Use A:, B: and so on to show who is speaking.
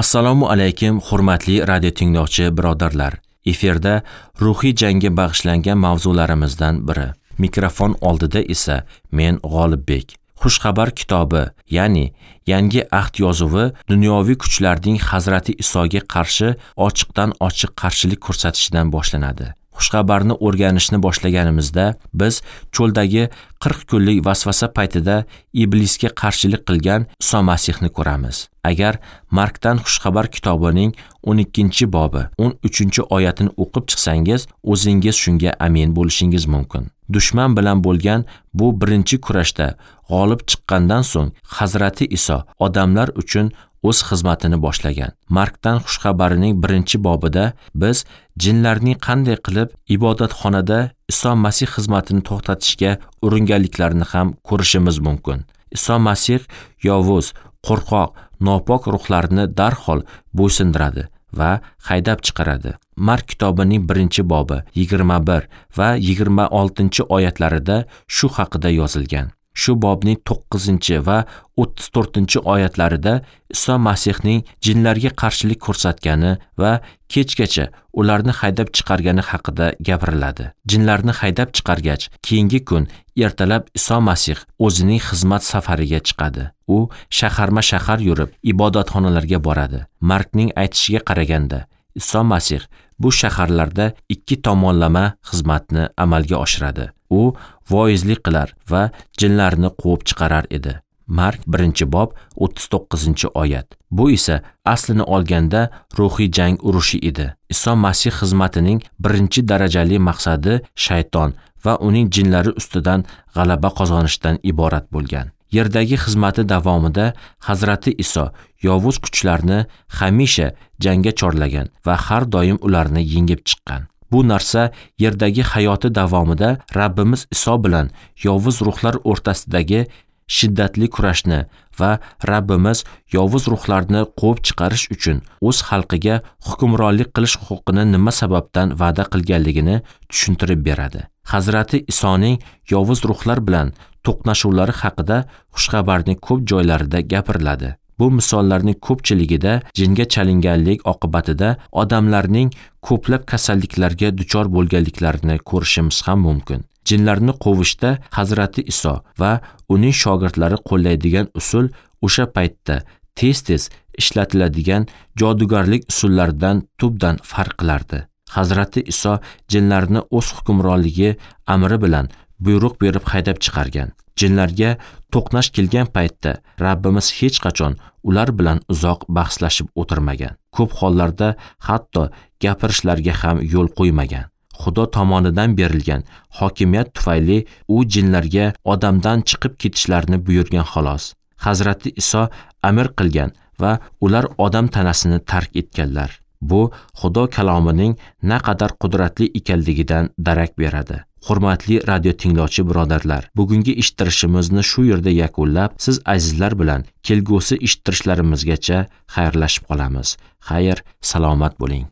A: Assalomu alaykum, hurmatli radio tinglovchi birodarlar. Efirda ruhiy jangga bag'ishlangan mavzularimizdan biri. Mikrofon oldida esa men G'olibbek. Xushxabar kitobi, ya'ni Yangi Ahd yozuvi dunyoviy kuchlarning Hazrati Isoga qarshi ochiqdan ochiq qarshilik ko'rsatishidan boshlanadi. Xushxabarni o'rganishni boshlaganimizda biz cho'ldagi 40 kunlik vasvasa paytida iblisga qarshilik qilgan Iso Masihni ko'ramiz. Agar Markdan Xushxabar kitobining 12-bobi 13-oyatini o'qib chiqsangiz, o'zingiz shunga amin bo'lishingiz mumkin. Dushman bilan bo'lgan bu birinchi kurashda g'olib chiqqandan so'ng Hazrati Iso odamlar uchun o'z xizmatini boshlagan. Markdan Xushxabarining 1-bobida biz jinlarning qanday qilib ibodatxonada Iso Masih xizmatini to'xtatishga uringanliklarini ham ko'rishimiz mumkin. Iso Masih yovuz, qo'rqoq, nopok ruhlarni darhol bo'ysundiradi va haydab chiqaradi. Mark kitobining 1-bobi 21 va 26-oyatlarida shu haqida yozilgan. Shu bobning 9 va 34-oyatlarida Iso Masihning jinlarga qarshilik ko'rsatgani va kechgacha ularni haydab chiqargani haqida gapiriladi. Jinlarni haydab chiqargach, keyingi kun ertalab Iso Masih o'zining xizmat safariga chiqadi. U shaharma-shahar yurib, ibodatxonalarga boradi. Markning aytishiga qaraganda, Iso Masih bu shaharlarda ikki tomonlama xizmatni amalga oshiradi. U voizlik qilar va jinlarni quvib chiqarar edi. Mark 1-bob 39-oyat. Bu esa aslini olganda ruhiy jang urushi edi. Iso Masih xizmatining birinchi darajali maqsadi shayton va uning jinlari ustidan g'alaba qozonishdan iborat bo'lgan. Yerdagi xizmati davomida Hazrati Iso yovuz kuchlarni hamisha jangga chorlagan va har doim ularni yengib chiqqan. Bu narsa yerdagi hayoti davomida Rabbimiz Iso bilan yovuz ruhlar o'rtasidagi shiddatli kurashni va Rabbimiz yovuz ruhlarni quvib chiqarish uchun o'z xalqiga hukmronlik qilish huquqini nima sababdan va'da qilganligini tushuntirib beradi. Hazrati Isoning yovuz ruhlar bilan to'qnashuvlari haqida xushxabarning ko'p joylarida gapiriladi. Bu misollarning ko'pchiligida jinga chalinganlik oqibatida odamlarning ko'plab kasalliklarga duchor bo'lganliklarini ko'rishimiz ham mumkin. Jinlarni quvishda Hazrati Iso va uning shogirdlari qo'llaydigan usul o'sha paytda tez-tez ishlatiladigan jodugarlik usullaridan tubdan farq qilardi. Hazrati Iso jinlarni o'z hukmronligi amri bilan buyruq berib haydab chiqargan. Jinlarga to'qnash kelgan paytda Rabbimiz hech qachon ular bilan uzoq bahslashib o'tirmagan. Ko'p hollarda hatto gapirishlarga ham yo'l qo'ymagan. Xudo tomonidan berilgan hokimiyat tufayli u jinlarga odamdan chiqib ketishlarini buyurgan xolos. Hazrati Iso amr qilgan va ular odam tanasini tark etganlar. Bu Xudo kalomining naqadar qudratli ekanligidan darak beradi. Hurmatli radio tinglovchi birodarlar, bugungi eshittirishimizni shu yerda yakunlab, siz azizlar bilan kelgusi eshittirishlarimizgacha xayrlashib qolamiz. Xayr, salomat bo'ling.